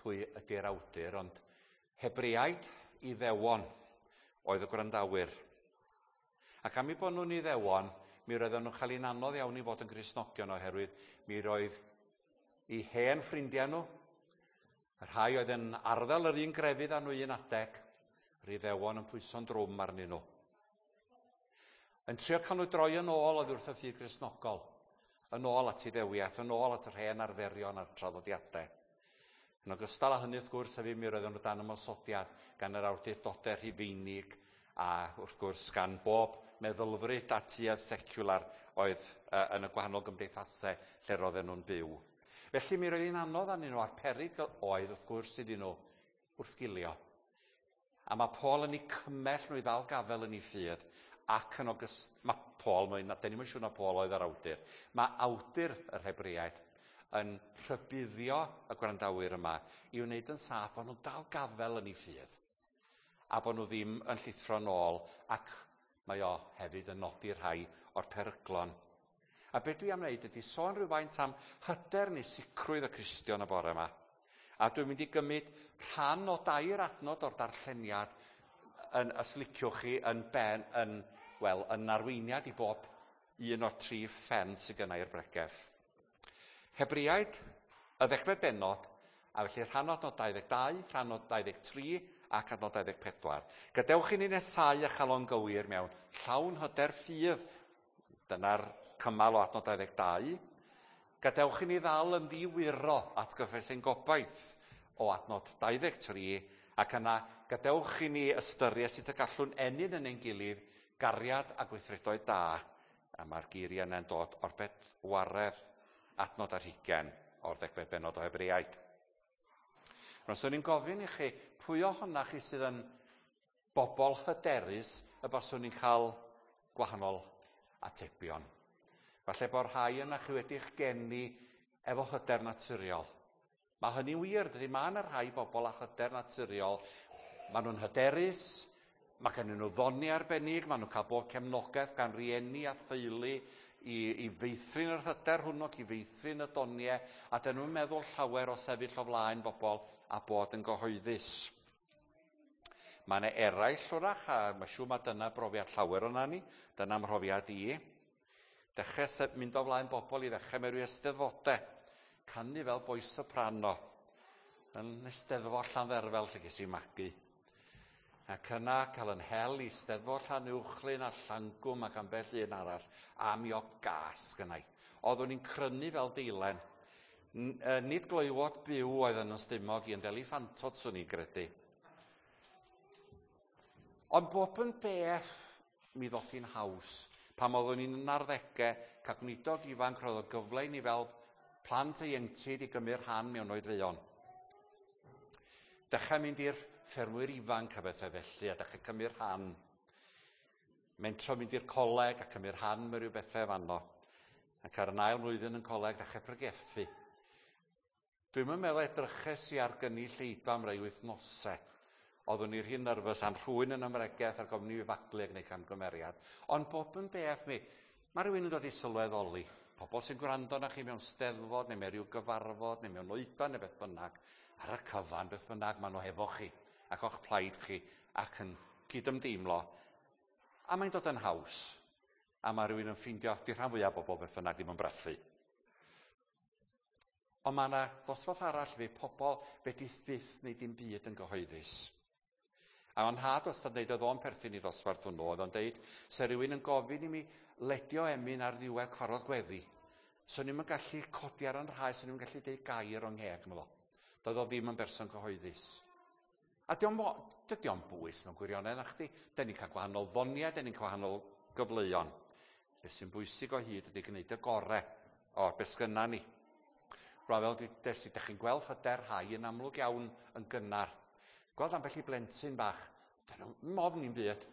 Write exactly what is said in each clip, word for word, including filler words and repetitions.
pwy ydy'r awdur, ond Hebreaid Iddewon oedd y gwrandawyr. Ac am eu bod nhw'n Iddewon, mi roedden nhw'n cael hi'n anodd iawn i fod yn Gristnogion oherwydd mi roedd eu hen ffrindiau nhw, y rhai oedd yn arddel yr un grefydd â nhw un adeg, yr Iddewon yn pwyso'n drwm arnyn nhw. Yn trio cael nhw droi yn ôl oddi wrth y ffydd Gristnogol, yn ôl at Iddewiaeth, yn ôl at yr hen arferion a'r traddodiadau. Yn ogystal â hynny, wrth gwrs, hefyd mi roedden nhw dan ymosodiad gan yr awdurdodau Rhufeinig a wrth gwrs gan bob meddylfryd a tuedd seciwlar oedd uh, yn y gwahanol gymdeithasau lle roedden nhw'n byw. Felly mi roedd hi'n anodd arnyn nhw a'r perygl oedd wrth gwrs iddyn nhw wrthgilio. A mae Paul yn eu cymell nhw i ddal gafel yn eu ffydd ac yn ogystal, mae Paul, mae'n, da ni'm yn siŵr na Paul oedd yr awdur, mae awdur yr Hebreaid yn rhybuddio y gwrandawyr yma i wneud yn saff bod nhw'n dal gafel yn eu ffydd a bod nhw ddim yn llithro nôl, ac mae o hefyd yn nodi rhai o'r peryglon. A be dwi am wneud ydy sôn rhywfaint am hyder neu sicrwydd y Cristion y bore yma. A dwi'n mynd i gymryd rhan o dair adnod o'r darlleniad yn, os liciwch chi, yn ben, yn, wel, yn arweiniad i bob un o'r tri phen sydd gynna i'r bregeth. Hebreaid, y ddegfed bennod, a felly rhan o adnod dau ddeg dau, rhan o dau ddeg tri ac adnod dau ddeg pedwar. Gadewch i ni nesau a chalon gywir mewn llawn hyder ffydd. Dyna'r cymal o adnod dau ddeg dau. Gadewch i ni ddal yn ddiwyro at gyffes ein gobaith o adnod dau ddeg tri, ac yna gadewch i ni ystyried sut y gallwn ennyn yn ein gilydd gariad a gweithredoedd da. A mae'r geiriau yna'n dod o'r bedwaredd adnod ar hugain o'r ddegfed bennod o Hebreaid. Rwan, swn i'n gofyn i chi, pwy ohonoch chi sydd yn bobl hyderus y baswn i'n cael gwahanol atebion? Falle bod rhai yna chi wedi'ch geni efo hyder naturiol. Mae hynny'n wir, dydy? Mae yna rhai bobl â hyder naturiol. Maen nhw'n hyderus, mae gen nhw ddoni arbennig, maen nhw'n cael bob cefnogaeth gan rieni a theulu i, i feithrin yr hyder hwnnw ac i feithrin y doniau, a dyn nhw'n meddwl llawer o sefyll o flaen bobl a bod yn gyhoeddus. Mae yna eraill wrach, a mae siŵr mae dyna brofiad llawer o'na ni, dyna mhrofiad i. Dechrau sef mynd o flaen bobl i ddechrau mewn rhyw eisteddfodau, canu fel boi soprano, yn eisteddfod Llandderfel lle ges i magu. Ac yna cael yn hel i steddfod Llanuwchllyn a Llangwm ac ambell un arall, a mi o gas gynnau. Oeddwn i'n crynu fel deilen. Nid gloywod byw oedd yn ystymog i, ond eliffantod swn i'n gredu. Ond bob yn beth mi ddoth hi'n haws. Pan oeddwn i'n yn arddegau, cael gweinidog ifanc roedd o gyfle i ni fel plant ieuenctid i gymryd rhan mewn oedfeuon. Dechrau mynd i'r ffermwyr ifanc a bethau felly, a dechrau cymryd rhan. Mentro mynd i'r coleg a cymryd rhan mewn rhyw bethau fanno. Ac ar yn ail mlwyddyn yn coleg, dechrau pregethu. Dwi'm yn meddwl edryches i ar gynulleidfa am rai wythnosau. Oeddwn i rhy nerfus am rhywun yn ymregaeth ar gofyn i fi faglu ac gwneud camgymeriad. Ond bob yn beth mi, mae rhywun yn dod i sylweddoli. Pobl sy'n gwrando na chi mewn steddfod neu mewn rhyw gyfarfod neu mewn oedfa neu beth bynnag. Ar y cyfan, beth bynnag, maen nhw hefo chi ac o'ch plaid chi ac yn cydymdeimlo. A mae'n dod yn haws. A mae rhywun yn ffeindio, di rhan fwyaf o bobl beth bynnag ddim yn brathu. Ond mae yna ddosbarth arall fe pobl fedrith fyth neu dim byd yn gyhoeddus. A o'n nhad wastad yn deud, oedd o'n perthyn i ddosbarth hwnnw, oedd o'n deud, se rhywun yn gofyn i mi ledio emyn ar ddiwedd cyfarfod gweddi, so ni'm yn gallu codi ar yn rhai, so ni'm yn gallu deud gair o'n ngheg, meddo. Doedd o ddim yn berson cyhoeddus. A dydy o'm bwys mewn gwirionedd, na chdi. Den ni'n cael gwahanol ddoniau, den ni'n cael gwahanol gyfleuon. Be sy'n bwysig o hyd ydy gwneud y gorau o'r beth sgynna ni. Rwan fel des i, dych chi'n gweld hyder rhai yn amlwg iawn yn gynnar. Gweld ambell i blentyn bach, dyn nhw'n ofn i'n byd.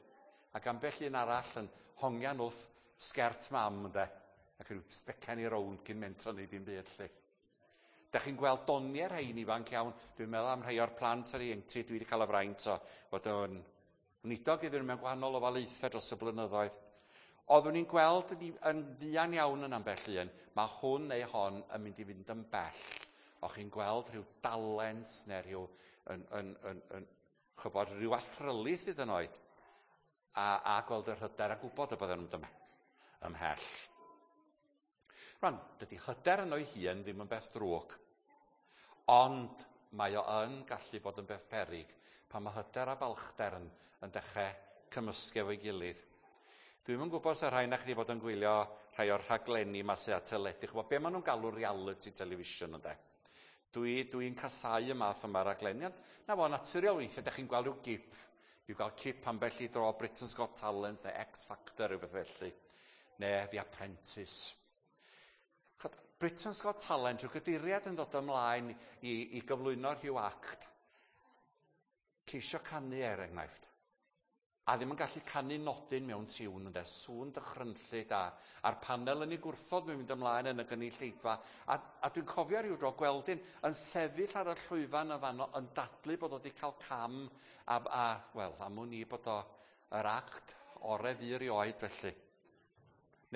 Ac ambell un arall yn hongian wrth sgert mam, ynde, ac rhyw sbecian i rownd cyn mentro neu dim byd, lle. Dych chi'n gweld doniau rhain ifanc iawn. Dwi'n meddwl am rhai o'r plant ar ieuenctid dwi wedi cael y fraint o fod yn weinidog iddyn nhw mewn gwahanol ofalaethau dros y blynyddoedd. Oeddwn i'n gweld yn fuan iawn yn ambell un, mae hwn neu hon yn mynd i fynd yn bell O'ch chi'n gweld rhyw dalent neu rhyw, yn, yn, yn, yn, chybod, rhyw athrylith hyd yn oed, a, a gweld yr hyder a gwybod y bydden nhw'n ymhell. Rwan, dydy hyder yn o'i hun ddim yn beth drwg, ond mae o yn gallu bod yn beth peryg pan mae hyder a balchder yn, yn dechrau cymysgu efo'i gilydd. Dwi'm yn gwybod os rhai na chi wedi bod yn gwylio rhai o'r rhaglenni yma sydd ar teledu. Ch'bo, be maen nhw'n galw reality television, ynde? Dwi'n dwi casau y math yma raglenni. Ond na fo, naturiol weithiau, ydych chi'n gweld rhyw gip. Dwi'n gweld cip ambell i dro Britain's Got Talent neu X Factor, rhywbeth felly. Neu The Apprentice. Britain's Got Talent, rhyw gyduriad yn dod ymlaen i, i gyflwyno rhyw act. Ceisio canu er enghraifft. A ddim yn gallu canu nodyn mewn tiwn, ynde, sŵn dychrynllyd a, a'r panel yn ei gwrthod mae'n mynd ymlaen yn y gynulleidfa. A, a dwi'n cofio rhyw dro gweld un yn sefyll ar y llwyfan y fanno yn dadlu bod o wedi cael cam a, a wel, am wn i bod o yr act ore fu erioed felly.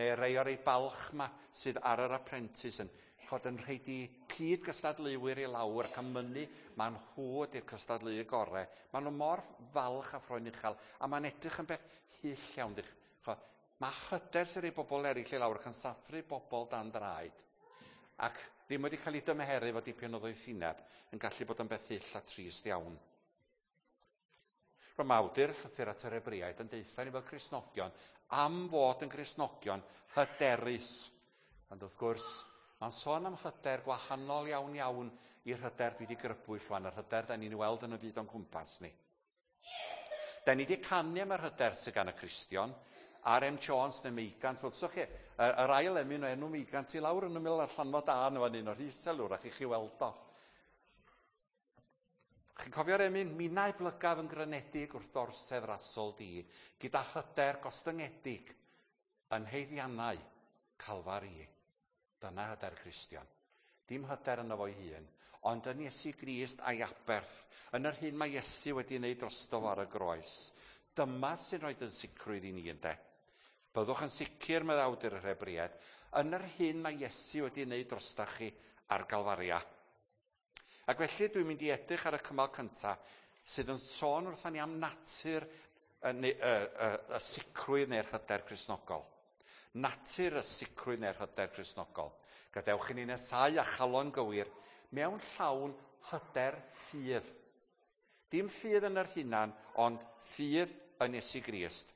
Neu rei o'r ei balch ma sydd ar yr Apprentice yn chod yn rhaid i cyd gystadleuwyr i lawr ac am mynnu ma'n nhw ydy'r cystadleuwyr gorau. Maen nhw mor falch a ffroen uchel a mae'n edrych yn beth hyll iawn. Chod, mae hyder sy'n rhoi bobl eraill i lawr ac yn sathru bobl dan draed. Ac ddim wedi cael ei dymheru fo dipyn o ddoethineb yn gallu bod yn beth hyll a trist iawn. Rwy'n awdur llythyr at yr Hebreaid yn deutha ni fel Cristnogion am fod yn Gristnogion hyderus. Ond wrth gwrs, mae'n sôn am hyder gwahanol iawn iawn i'r hyder dwi wedi grybwyll rwan, yr hyder da ni'n weld yn y byd o'n cwmpas ni. Da ni wedi canu am yr hyder sydd gan y Cristion, R M Jones neu Meigant, wrthych chi, yr ail emyn o enw Meigant i lawr yn ymyl allanfa da yn fan hyn o'r isel wrach i chi weld o. Chi'n cofio'r emyn, minnau blygaf yn grynedig wrth orsedd rasol di, gyda hyder gostyngedig yn heiddiannau Calfari. Dyna hyder Cristion. Dim hyder yno fo'i hun, ond yn Iesu Grist a'i aberth, yn yr hyn mae Iesu wedi wneud drosto fo ar y groes. Dyma sy'n rhoi yn sicrwydd i ni, ynde. Byddwch yn sicr, meddai awdur yr Hebreaid, yn yr hyn mae Iesu wedi wneud drostach chi ar Galfaria. Ac felly dwi'n mynd i edrych ar y cymal cyntaf sydd yn sôn wrthon ni am natur y, y, y, y sicrwydd neu'r hyder Cristnogol. Natur y sicrwydd neu'r hyder Cristnogol. Gadewch i ni nesau a chalon gywir mewn llawn hyder ffydd. Dim ffydd yn yr hunan, ond ffydd yn Iesu Grist.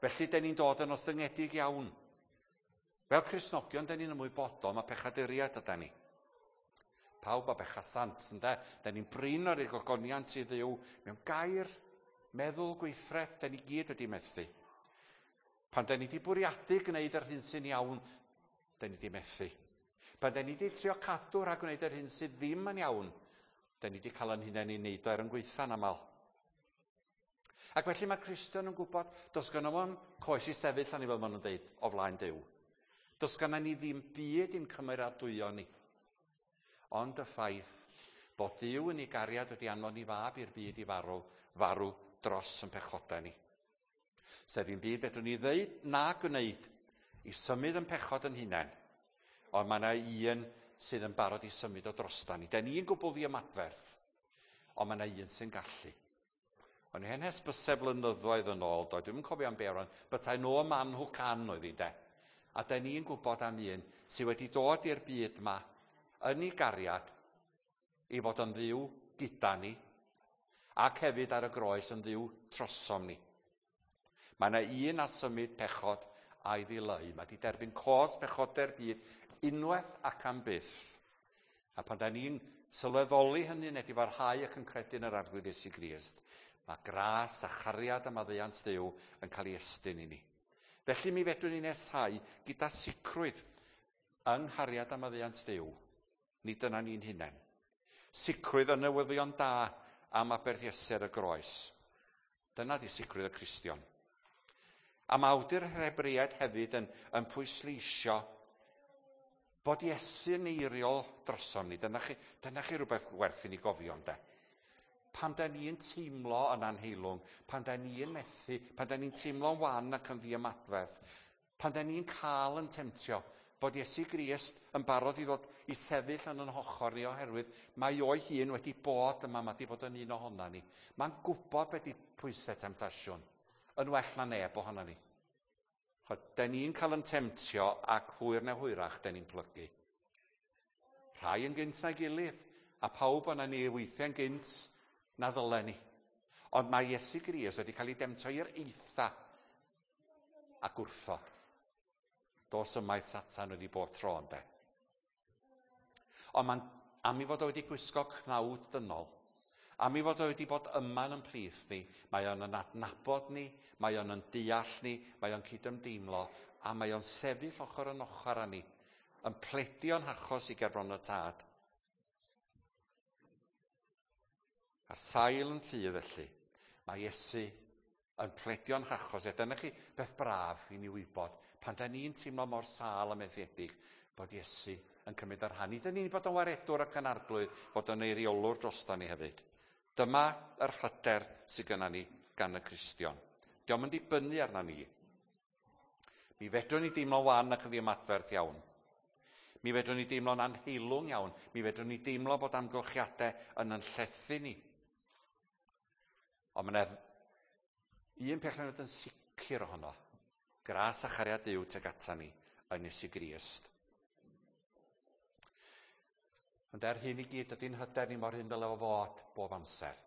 Felly, den ni'n dod yn ostyngedig iawn. Fel Cristnogion, den ni'n ymwybodol, mae pechaduriaid ydan ni. Pawb a bechasant, ynde? Den ni'n brin o'r gogoniant i Dduw mewn gair, meddwl, gweithred, den ni gyd wedi methu. Pan den ni wedi bwriadu gwneud yr hyn sy'n iawn, den ni wedi methu. Pan den ni wedi trio cadw rhag gwneud yr hyn sydd ddim yn iawn, den ni wedi cael yn hunain i wneud o er yn gweitha'n aml. Ac felly mae Cristion yn gwybod, does gynno fo'n coes i sefyll arni fel maen nhw'n deud, o flaen Duw. Does gynno ni ddim byd i'n cymeradwyo ni. Ond y ffaith bod Duw yn ei gariad wedi anfon ei fab i'r byd i farw, farw dros yn pechodau ni. Sef ddim byd fedrwn ni ddeud na gwneud i symud yn pechod yn hunain, ond mae yna un sydd yn barod i symud o drosta ni. Den ni'n gwbl ddiymadferth, ond mae yna un sy'n gallu. O'n i hen hysbysau blynyddoedd yn ôl, do, dwi'm yn cofio am be rwan, but I know a man who can oedd hi de. A den ni'n gwybod am un sydd wedi dod i'r byd yma yn ei gariad i fod yn Dduw gyda ni, ac hefyd ar y groes yn Dduw trosom ni. Mae yna un a symud pechod a'i ddileu. Mae wedi derbyn cos pechodau'r byd unwaith ac am byth. A pan da ni'n sylweddoli hynny neu difarhau ac yn credu yn yr Arglwydd Iesu Grist, mae gras a chariad a maddeuant Duw yn cael ei estyn i ni. Felly mi fedrwn ni nesau gyda sicrwydd yng nghariad a maddeuant Duw. Nid dyna ni'n hunain. Sicrwydd y newyddion da am aberth Iesu ar y groes. Dyna di sicrwydd y Cristion. A mae awdur yr Hebreaid hefyd yn, yn pwysleisio bod Iesu'n eiriol drosom ni. Dyna chi, dyna chi rhywbeth werth i ni gofio, ynde? Pan da ni'n teimlo yn anheilwng, pan da ni'n methu, pan da ni'n teimlo'n wan ac yn ddiymadferth, pan da ni'n cael yn temtio, bod Iesu Grist yn barod i ddod i sefyll yn yn hochor ni oherwydd mae o'i hun wedi bod yma, mae wedi bod yn un ohona ni. Mae'n gwybod beth 'di pwysau temtasiwn, yn well na neb ohona ni. Den ni'n cael yn temtio ac hwyr neu hwyrach den ni'n plygu. Rhai yn gynt na'i gilydd, a pawb o'na ni weithiau'n gynt na ddylen ni. Ond mae Iesu Grist wedi cael ei demtio i'r eitha ac wrthod. Dos ymaith Satan wedi bod tro ynde. Ond mae'n, am i fod o wedi gwisgo cnawd dynol, am i fod o wedi bod yma yn plith ni, mae o'n yn adnabod ni, mae o'n yn deall ni, mae o'n cydymdeimlo, a mae o'n sefyll ochr yn ochr â ni, yn pledio'n hachos i gerbron y Tad. Ar sail yn ffydd felly, mae Iesu yn pledio'n hachos. A dyna chi beth braf i ni wybod, pan da ni'n teimlo mor sâl a methiedig, bod Iesu yn cymryd ar rhan. Nid ni'n bod yn waredwr ac yn arglwydd, bod yn eiriolwr drosta ni hefyd. Dyma yr hyder sydd gynna ni gan y Cristion. Dio'm yn dibynnu arna ni. Mi fedrwn ni deimlo wan ac yn ddiymadferth iawn. Mi fedrwn ni deimlo'n anheilwng iawn. Mi fedrwn ni deimlo bod amgylchiadau yn yn llethu ni. Ond mae yna un peth yn yn sicr ohono. Gras a chariad Duw tuag ata ni yn Iesu Grist. Ond er hyn i gyd, ydy'n hyder ni mor hyn dyle fo fod bob amser.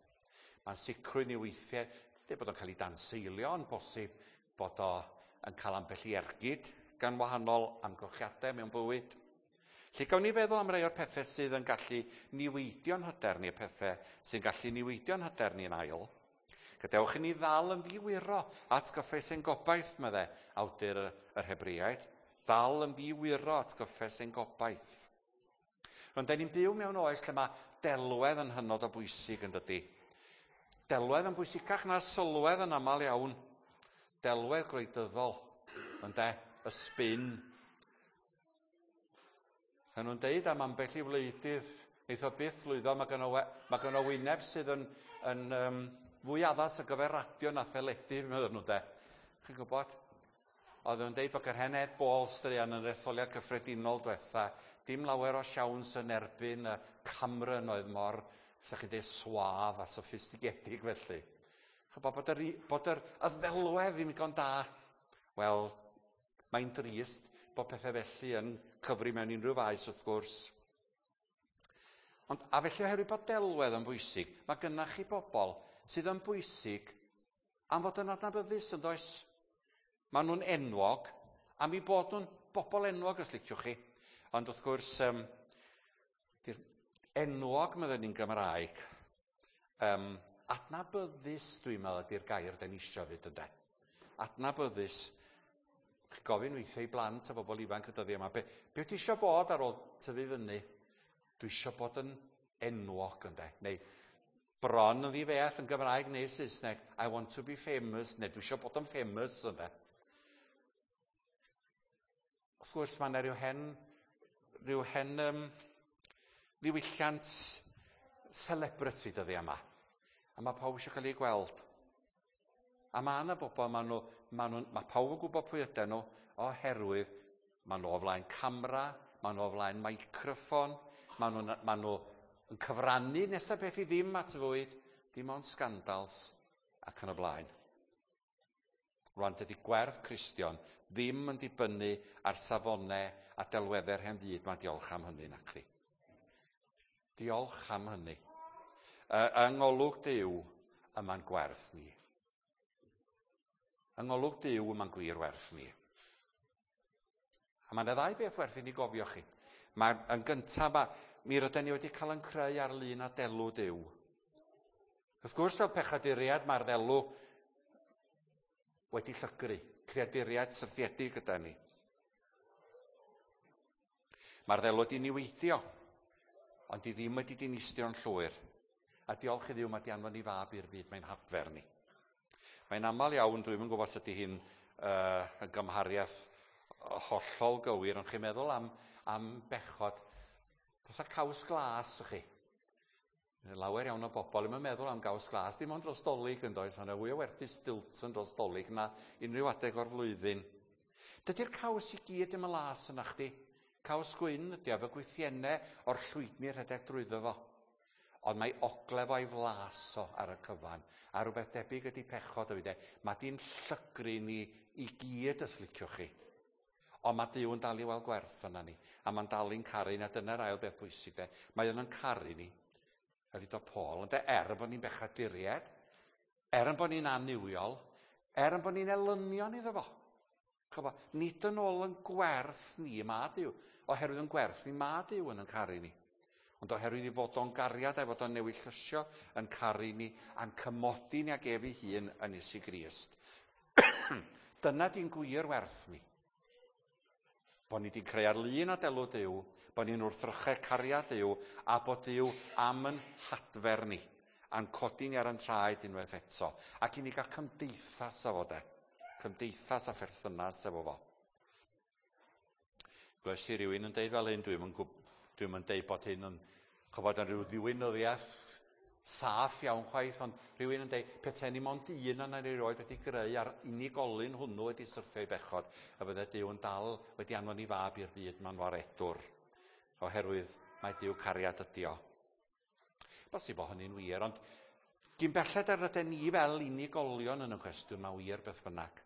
Mae'n sicrwydd ni weithiau, dweud bod o'n cael ei danseilio, yn bosib bod o yn cael ambell i ergyd gan wahanol amgylchiadau mewn bywyd. Lle gawn ni feddwl am rai o'r pethau sydd yn gallu niweidio'n hyder ni, y pethau sy'n gallu niweidio'n hyder ni yn ail. Gadewch i ni ddal yn ddiwyro at gyffes ein gobaith, meddai awdur yr Hebreaid. Ddal yn ddiwyro at gyffes ein gobaith. Ond da ni'n byw mewn oes lle mae delwedd yn hynod o bwysig yn dydy. Delwedd yn bwysicach na sylwedd yn aml iawn. Delwedd gwleidyddol, ynde, y spin. A nhw'n deud am ambell i wleidydd, neith o byth lwyddo, mae gynno, mae gynno wyneb sydd yn, yn um, fwy addas ar gyfer radio na theledu, meddwl nhw de. Chi'n gwybod? Oedd nhw'n deud bod yr hen Ed Ball straeon yn yr etholiad cyffredinol diwetha, dim lawer o siawns yn erbyn y Cameron oedd mor, sa chi'n deud, suave a soffistigedig felly. Chybod bod yr, bod yr y ddelwedd ddim digon da. Wel, mae'n drist bod pethau felly yn cyfri mewn unrhyw faes wrth gwrs. Ond, a felly oherwydd bod delwedd yn bwysig, mae gynnach chi bobl sydd yn bwysig am fod yn adnabyddus yn does. Maen nhw'n enwog am eu bod nhw'n bobl enwog os liciwch chi. Ond wrth gwrs, um, di'r enwog meddwn ni'n Gymraeg, um, adnabyddus dwi'n meddwl ydy'r gair den ni isio fyd ynde. Adnabyddus. Chi gofyn weithiau i blant a bobl ifanc y dyddiau yma, be, be ti isio bod ar ôl tyfu fyny? Dwi isio bod yn enwog ynde. Neu bron yn ddi-feth yn Gymraeg neu Saesneg, I want to be famous, neu dwi isio bod yn famous ynde. Wrth gwrs, mae yna rhyw hen, rhyw hen um, ddiwylliant celebrity dyddiau yma. A mae pawb eisiau cael ei gweld. A mae yna bobl, mae, nhw, mae, nhw, mae pawb yn gwybod pwy ydyn nhw, oherwydd mae nhw o flaen camera, mae nhw o flaen microffon, mae nhw, mae nhw yn cyfrannu nesaf beth i ddim at y fwyd, dim ond scandals ac yn y blaen. Rwan, dydy gwerth Cristion ddim yn dibynnu ar safonau a delweddau'r hen fyd. Mae diolch am hynny, nacdi. Diolch am hynny. Yng ngolwg Duw, yma'n gwerth ni. Yng ngolwg Duw, yma'n gwir werth ni. A mae yna ddau beth werth i ni gofio chi. Mae, yn gyntaf, ma, mi rydyn ni wedi cael yn creu ar lun a delw Duw. Wrth gwrs, fel pechaduriad, mae'r ddelw wedi llygru, creaduriad syrthiedig gyda ni. Mae'r ddelw wedi niweidio, ond di ddim wedi dinistrio'n llwyr. A diolch i Dduw, mae di anfon i fab i'r byd, mae'n hadfer ni. Mae'n aml iawn, dwi'm yn gwybod sut ydy hi'n uh, yn gymhariaeth hollol gywir, ond chi'n meddwl am, am bechod, fatha caws glas i chi. Lawer iawn o bobl ddim yn meddwl am gaws glas, dim ond dros Dolig yn does, ond fwy o werthu Stilton dros Dolig na unrhyw adeg o'r flwyddyn. Dydy'r caws i gyd ddim yn las yna chdi. Caws gwyn ydy o, efo gwythiennau o'r llwydni rhedeg drwyddo fo. Ond mae ogle fo'i flas o ar y cyfan. A rhywbeth debyg ydy pechod o fi de. Mae di'n llygru ni i gyd os liciwch chi. Ond mae Duw yn dal i weld gwerth yna ni. A mae'n dal i'n caru ni, a dyna'r ail beth bwysig de. Mae o'n caru ni. Fel ddudodd Paul, ynde, er bod ni'n bechaduriaid, er yn bod ni'n annuwiol, er yn bod ni'n elynion iddo fo. Chybo, nid yn ôl yn gwerth ni mae Duw, oherwydd yn gwerth ni mae Duw yn yn caru ni. Ond oherwydd i fod o'n gariad a'i fod o'n newyllysio yn caru ni a'n cymodi ni ag ef ei hun yn Iesu Grist. Dyna di'n gwir werth ni. Bod ni wedi creu ar lun a delw Duw, bod ni'n wrthrychau cariad Duw, a bod Duw am yn hadfer ni, a'n codi ni ar yn traed unwaith eto. Ac i ni gael cymdeithas efo de. Cymdeithas a pherthynas efo fo. Glywes i rywun yn deud fel hyn, dwi'm yn, dwi'm yn deud bod hyn yn, chybod, yn rhyw ddiwinyddiaeth saff iawn chwaith, ond rhywun yn deud, petai ni mond un yna ni erioed wedi greu a'r unigolyn hwnnw wedi syrthio i bechod, a bydde Duw yn dal wedi anfon i fab i'r byd ma'n waredwr, oherwydd mae Duw cariad ydi o. Bosib bod hynny'n wir, ond gyn belled ar rydyn ni fel unigolion yn y cwestiwn, mae wir beth bynnag.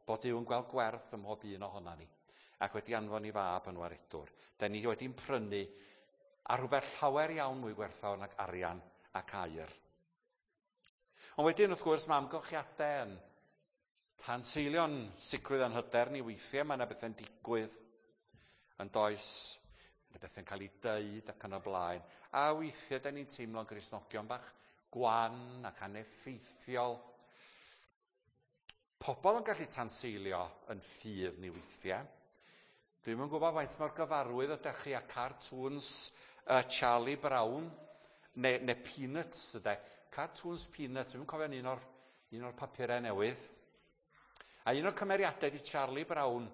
Bod Duw yn gweld gwerth ym mhob un ohona ni, ac wedi anfon i fab yn waredwr. Da ni wedi'n prynu a rhywbeth llawer iawn mwy gwerthfawr nag arian ac aur. Ond wedyn, wrth gwrs, mae amgylchiadau yn tanseilio'n sicrwydd a'n hyder ni weithiau. Mae yna bethau'n digwydd yn does, yna bethau'n cael ei deud ac yn y blaen. A weithiau, da ni'n teimlo'n Gristnogion bach gwan ac aneffeithiol. Pobl yn gallu tanseilio yn ffydd ni weithiau. Dwi'm yn gwybod faint mor gyfarwydd ydych chi â cartoons uh, Charlie Brown, neu, neu Peanuts, yde. Cartoons Peanuts, dwi'n cofio un o'r, un o'r papurau newydd. A un o'r cymeriadau di Charlie Brown.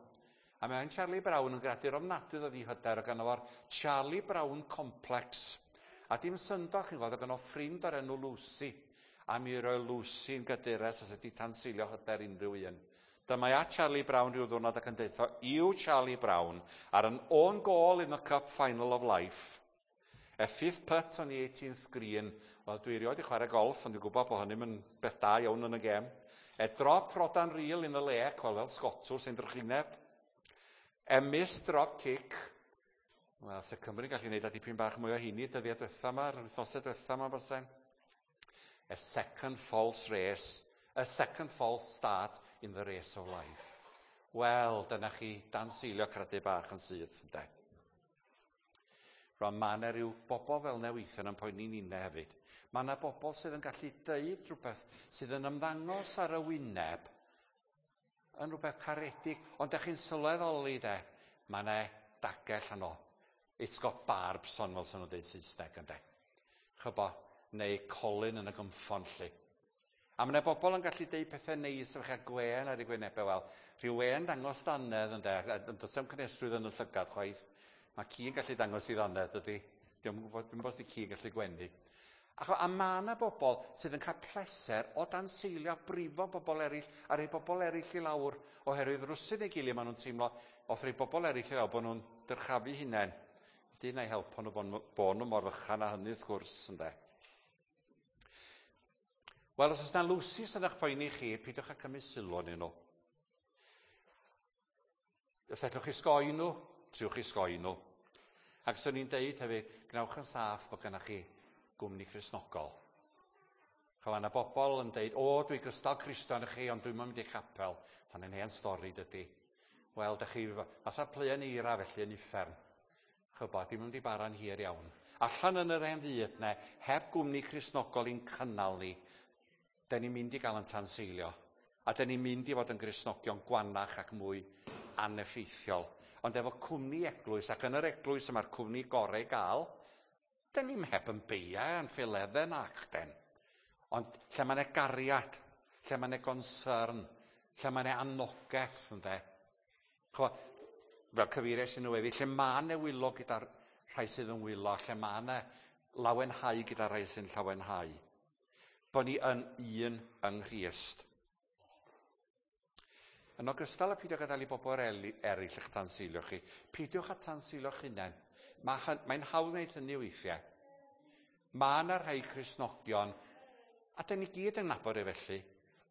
A mae'n Charlie Brown yn gradur ofnadwy o ddihyder o gynno fo'r Charlie Brown Complex. A dim syndod, chi'n gweld, o gynno ffrind o'r enw Lucy. A mi roi Lucy yn gadures os ydy tanseilio hyder unrhyw un. Dyma a Charlie Brown rhyw ddwrnod ac yn deutho, "You Charlie Brown are an own goal in the cup final of life. A fifth putt on the eighteenth green." Wel, dwi erioed i chwarae golf, ond dwi'n gwybod bod hynny'n yn beth da iawn yn y gem. "A drop rod and reel in the lake," wel, fel Sgotwr sy'n drychineb. "A missed drop kick." Wel, se Cymru'n gallu gwneud a dipyn bach mwy o hynny dyddiau diwetha yma, yr wythnosau diwetha yma, bysen. "A second false race, a second false start in the race of life." Wel, dyna chi danseilio credu bach yn syth, ynde. Rwan, mae yna rhyw bobl fel 'na weithiau yn poeni ninne hefyd. Mae yna bobl sydd yn gallu deud rhywbeth sydd yn ymddangos ar y wyneb yn rhywbeth caredig, ond ydych chi'n sylweddoli de, mae yna dagell yno. It's got barbs on, fel sy'n nhw'n dweud Saesneg, ynde. Chybo, neu colyn yn y gynffon, lly. A mae yna bobl yn gallu deud pethau neis efo chi gwên ar eu gwynebau, wel, rhyw wên dangos dannedd, ynde, yn does dim cynhesrwydd yn y llygad chwaith. Mae ci'n gallu dangos i ddannedd, dydy. Dwi'n gwybod, dwi'n gwybod os di ci'n gallu gwenu. A, a mae yna bobl sydd yn cael pleser o danseilio brifo bobl eraill a rhoi bobl eraill i lawr oherwydd rwsut ei gilydd maen nhw'n teimlo wrth rhoi bobl eraill i lawr bod nhw'n dyrchafu hunain. Dyn na'i helpu nhw bod, bod nhw mor fychan â hynny wrth gwrs, ynde. Wel, os oes yna Lucy sydd eich poeni chi, peidiwch â cymryd sylw arnyn nhw. Os allwch chi sgoi nhw, triwch chi sgoi nhw. Ac os o'n i'n deud hefyd, gwnewch yn saff bod gennych chi gwmni Cristnogol. Chwa, yna bobl yn deud, "O, dwi gystal Cristion â chi, ond dwi'n mynd i'r capel." Hwnnau'n hen stori, dydy. Wel, dych chi fatha pluen eira felly yn uffern. Chybo, dim mynd i bara'n hir iawn. Allan yn yr hen fyd ne, heb gwmni Cristnogol i'n cynnal ni, den ni'n mynd i gael yn tanseilio. A den ni'n mynd i fod yn Gristnogion gwanach ac mwy aneffeithiol. Ond efo cwmni eglwys, ac yn yr eglwys yma'r cwmni gorau gael, den ni'n heb yn beia a'n ffiledde nac den. Ond lle mae yna gariad, lle mae yna concern, lle mae yna anogaeth, ynde. Chwa, fel cyfeiriais i nhw heddi, lle mae yna wylo gyda'r rhai sydd yn wylo, lle mae yna lawenhau gyda'r rhai sy'n llawenhau. Bod ni yn un yng Nghrist. Yn ogystal â peidio gadael i bobl eraill eich tanseilio chi, peidiwch â tanseilio'ch hunain. Mae, mae'n hawdd wneud hynny weithiau. Mae yna rhai Cristnogion, a dyn ni gyd yn nabod e felly,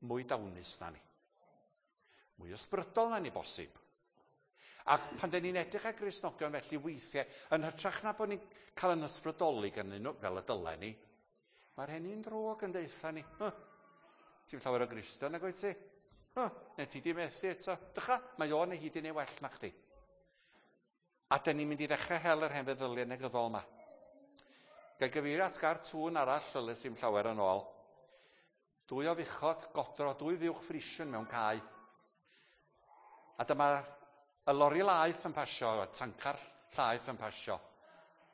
mwy dawnus na ni. Mwy ysbrydol na ni bosib. Ac pan dyn ni'n edrych ar Gristnogion felly weithiau, yn hytrach na bod ni'n cael yn ysbrydoli gan nhw, fel y dylen ni, mae'r henni'n drwg yn deutha ni. Huh, ti'n llawer o Gristion nag wyt ti? Huh, neu ti di methu eto. Dycha, mae o neu hi di neu well na chdi. A dyn ni'n mynd i ddechrau hel yr hen feddyliau negyddol yma. Gael gyfeirio at gartŵn arall, fel sy'n llawer yn ôl. Dwy o fuchod godro, dwy fuwch Frisian mewn cae. A dyma y lori laeth yn pasio, y tancar llaeth yn pasio.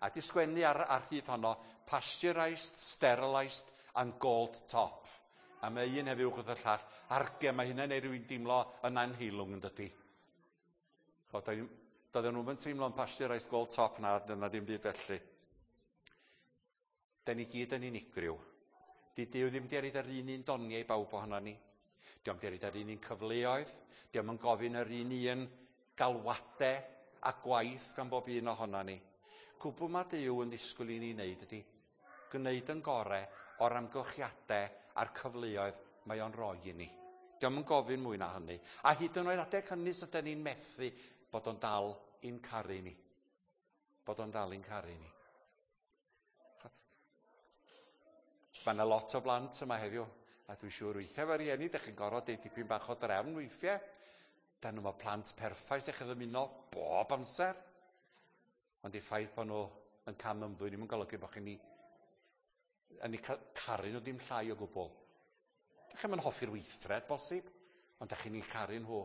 A di sgwennu ar, ar hyd honno, pasteurised, sterilised and gold top. A mae un hefyd wrth y llall. Arge, mae hynna'n neud rhywun deimlo yn anheilwng yn dydy. Doedden nhw'n teimlo'n pasteurised gold top na, na ddim byd felly. Da ni gyd yn unigryw. Di Duw ddim di roid yr un un doniau i bawb ohono ni. Dio'm di roid yr un un cyfleoedd. Dio'm yn gofyn yr un un galwadau a gwaith gan bob un ohono ni. Cwbl mae Duw yn ddisgwyl i ni wneud ydy gwneud yn gorau o'r amgylchiadau a'r cyfleoedd mae o'n rhoi i ni. Dio'm yn gofyn mwy na hynny. A hyd yn oed adeg hynny sydd ni'n methu bod o'n dal i'n caru ni. Bod o'n dal i'n caru ni. Mae yna lot o blant yma heddiw, a dwi'n siŵr weithiau fe rieni, dych chi'n gorfod deud dipyn bach o drefn weithiau. Da nhw mae plant perffaith eich ddymuno bob amser. Ond i ffaith bod nhw yn cam ymddwyn ddim yn golygu bod chi'n yn eu caru nhw ddim llai o gwbl. Dych chi'n hoffi'r weithred bosib, ond dych chi'n eu caru nhw.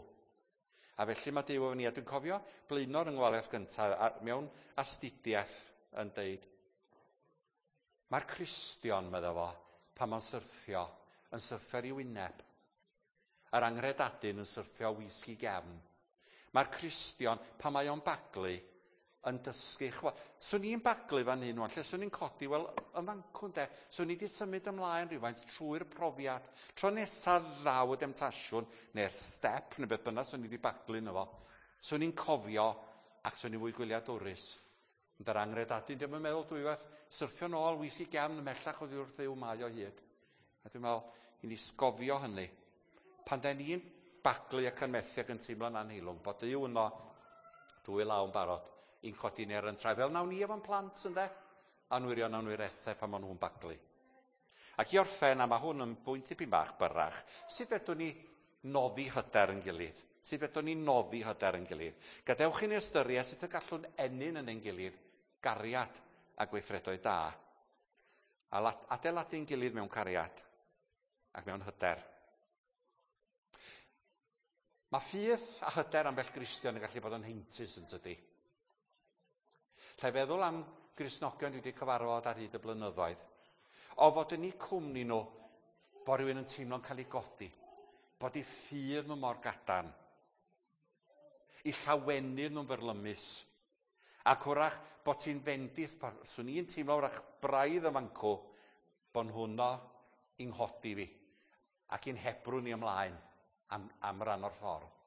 A felly mae Duw efo ni, a dwi'n cofio blaenor yng ngwaliaeth gyntaf mewn astudiaeth yn deud, mae'r Cristion, medda fo, pan mae'n syrthio, yn syrthio ar ei wyneb. Yr anghredadun yn syrthio wisg i gefn. Mae'r Cristion, pan mae o'n baglu, yn dysgu. Chwa, swn i'n baglu fan hyn wan, lle swn i'n codi, wel, yn fancwn de, swn i wedi symud ymlaen rhywfaint trwy'r profiad. Tro nesaf ddaw y demtasiwn, neu'r step, neu beth bynnag swn i wedi baglu yno fo. Swn i'n cofio, ac swn i'n fwy gwyliadwrus. Ond yr anghredadun, diolch yn meddwl dwywaith, syrthio nôl, wisg i gefn, ymhellach oddi wrth Dduw mae o hyd. A dwi'n meddwl, i ni sgofio hynny. Pan da ni'n baglu ac yn methu ac yn teimlo'n anheilwng, bod Duw yno dwy law yn barod i'n codi ni ar yn traed. Fel nawn ni efo'n plant, ynde? Anwyrion anwyresau pan maen nhw'n baglu. Ac i orffen, a mae hwn yn bwynt dipyn bach byrrach, sut fedrwn ni noddi hyder yn gilydd? Sut fedrwn ni noddi hyder yn gilydd? Gadewch i ni ystyried sut y gallwn ennyn yn ein gilydd gariad a gweithredoedd da. A adeiladu'n gilydd mewn cariad ac mewn hyder. Mae ffydd a hyder ambell Gristion yn gallu bod yn heintus yn tydi. Lle feddwl am Gristnogion dwi wedi cyfarfod ar hyd y blynyddoedd, o fod yn eu cwmni nhw, bod rhywun yn teimlo'n cael ei godi, bod eu ffydd nhw mor gadarn, eu llawenydd nhw'n fyrlymus, ac wrach bod ti'n fendith, swn i'n teimlo wrach braidd y fancw, bod nhw'no i'n nghodi fi, ac i'n hebrwng ni ymlaen am, am ran o'r ffordd.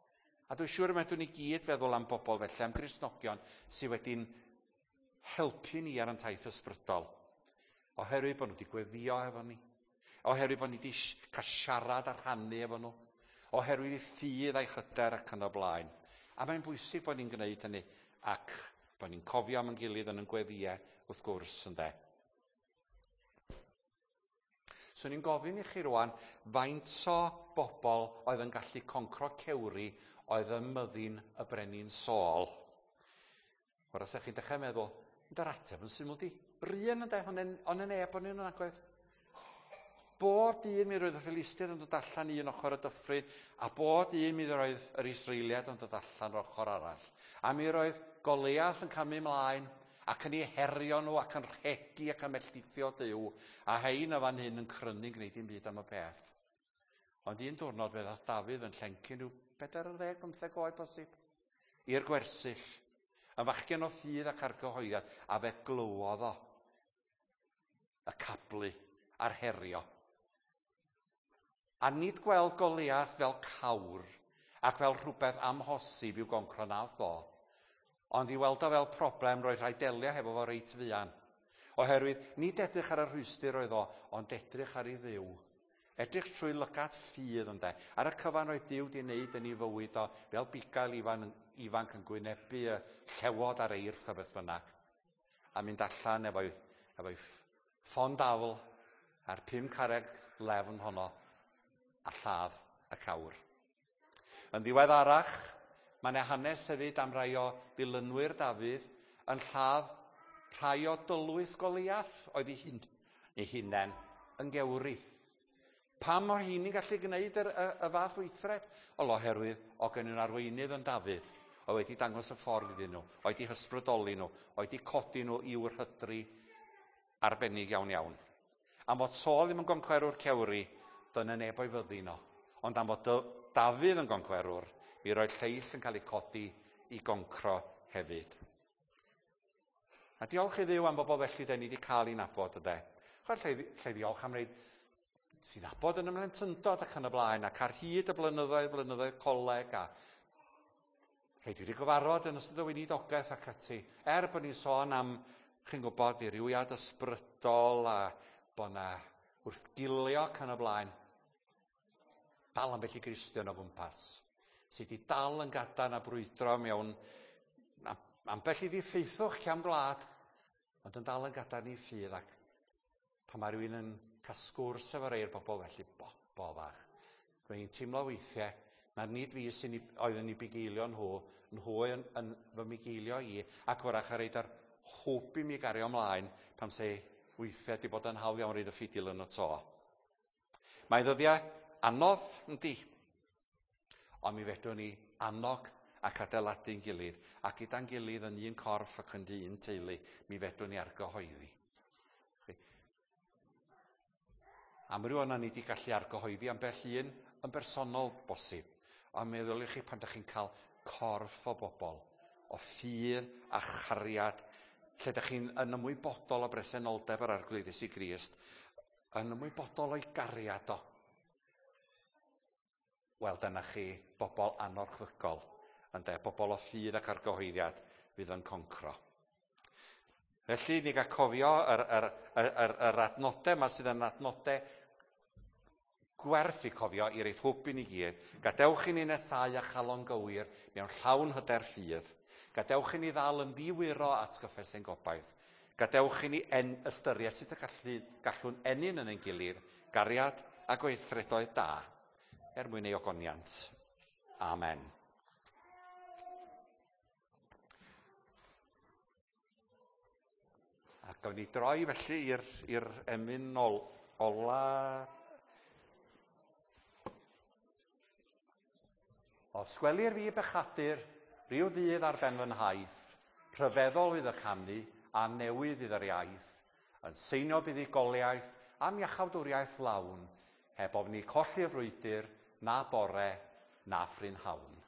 A dwi'n siŵr y medrwn ni gyd feddwl am bobl felly, am Gristnogion sydd wedi'n helpu ni ar ein taith ysbrydol. Oherwydd bod nhw wedi gweddio efo ni. Oherwydd bod ni wedi cael siarad a rhannu efo nhw. Oherwydd eu ffydd a'i hyder ac yn y blaen. A mae'n bwysig bod ni'n gwneud hynny ac bod ni'n cofio am ein gilydd yn ein gweddïau wrth gwrs ynde. Swn i'n gofyn i chi rwan faint o bobl oedd yn gallu concro cewri oedd yn myddin y brenin Saul. Wrach os chi'n dechrau meddwl, ond yr ateb yn syml di. Rhan ynde, ond yn neb o'n un yn agwedd. Bob dyn mi roedd y Philistiaid yn dod allan un ochr y dyffryn, a bob dyn mi roedd yr Israeliaid yn dod allan o'r ochr arall. A mi roedd Goliath yn camu ymlaen, ac yn eu herio nhw, ac yn rhegi ac yn melltithio Duw, a hein o fan hyn yn crynu gwneud dim byd am y peth. Ond un diwrnod fe ddaeth Dafydd yn llencyn rhyw pedair ar ddeg, bymtheg oed bosib, i'r gwersyll, yn fachgen o ffydd ac argyhoeddiad, a fe glywodd o y cablu a'r herio. A nid gweld Goliath fel cawr, ac fel rhywbeth amhosib i'w goncro nath o. Ond i weld o fel problem, roedd rhaid delio hefo fo reit fuan. Oherwydd, nid edrych ar y rhwystr oedd o, ond edrych ar ei Dduw. Edrych trwy lygad ffydd, ynde. Ar y cyfan roedd Duw di wneud yn ei fywyd o, fel bugail ifan, ifanc yn gwynebu y llewod ar eirth a beth bynnag. A mynd allan efo'i, efo'i ffon dafl a'r pum carreg lefn honno a lladd y cawr. Yn ddiweddarach, mae yna hanes hefyd am rai o ddilynwyr Dafydd yn lladd rhai o dylwyth Goliath oedd ei hun, ei hunain yn gewri. Pam o'r hyn i'n gallu gwneud y, y, y fath weithred? Wel, oherwydd o gen nhw'n arweinydd yn Dafydd, oedd wedi dangos y ffordd iddyn nhw, oedd wedi hysbrydoli nhw, oedd wedi codi nhw i'w rhydri arbennig iawn iawn. Am fod Saul ddim yn goncwerwr cewri, dyna neb o'i fyddin o. Ond am fod Dafydd yn goncwerwr, mi roedd lleill yn cael eu codi i goncro hefyd. A diolch i Dduw am bobl felly da ni wedi cael ei nabod, yde. Chwarae lle, lle ddiolch am rei sy'n nabod yn ymlentyndod ac yn y blaen, ac ar hyd y blynyddoedd, blynyddoedd coleg, a rhai dwi wedi gyfarfod yn ystod y weinidogaeth ac ati. Er bod ni'n sôn am, chi'n gwybod, ddirywiad ysbrydol a bod na wrthgilio ac yn y blaen, dal ambell i Gristion o gwmpas, sydd wedi dal yn gadarn a brwydro mewn ambell i ddiffeithwch cefn gwlad, ond yn dal yn gadarn i ffydd, ac pan mae rhywun yn cael sgwrs efo rei'r bobl felly, bo, bo fach. Dwi'n teimlo weithiau na nid fi sy'n oedd yn ei bugeilio nhw, nhw yn, yn fy mugeilio i, ac wrach ar reid ar hwb i mi gario ymlaen, pam se weithiau di bod yn hawdd iawn reid y ffidil yn y to. Mae ddyddiau anodd, yndi, ond mi fedrwn ni annog ac adeiladu'n gilydd, ac gyda'n gilydd yn un corff ac yn un teulu, mi fedrwn ni argyhoeddi. Amryw o'na ni wedi gallu argyhoeddi ambell un yn bersonol bosib, ond meddwl i chi pan ydych chi'n cael corff o bobl, o ffydd a chariad, lle ydych chi'n yn ymwybodol o bresenoldeb yr Arglwydd Iesu Grist, yn ymwybodol o'i gariad o. Wel, dyna chi bobl anorchfygol, ynde, bobl o ffydd ac argyhoeddiad fydd yn concro. Felly, ni gael cofio yr, yr, yr, yr, yr adnodau yma sydd yn adnodau gwerth i cofio i reid hwb i ni gyd. Gadewch i ni nesau a chalon gywir mewn llawn hyder ffydd. Gadewch i ni ddal yn ddiwyro at gyffes ein gobaith. Gadewch i ni en, ystyried sut y gallu, gallwn ennyn yn ein gilydd gariad a gweithredoedd da er mwyn ei ogoniant. Amen. A gawn ni droi felly i'r, i'r emyn ol, ola. Os gwelir fi bechadur, rhyw ddydd ar ben fy nhaith, rhyfeddol fydd y canu a newydd fydd yr iaith, yn seinio buddugoliaeth am iachawdwriaeth lawn, heb ofni colli'r frwydr, na bore, na phrynhawn.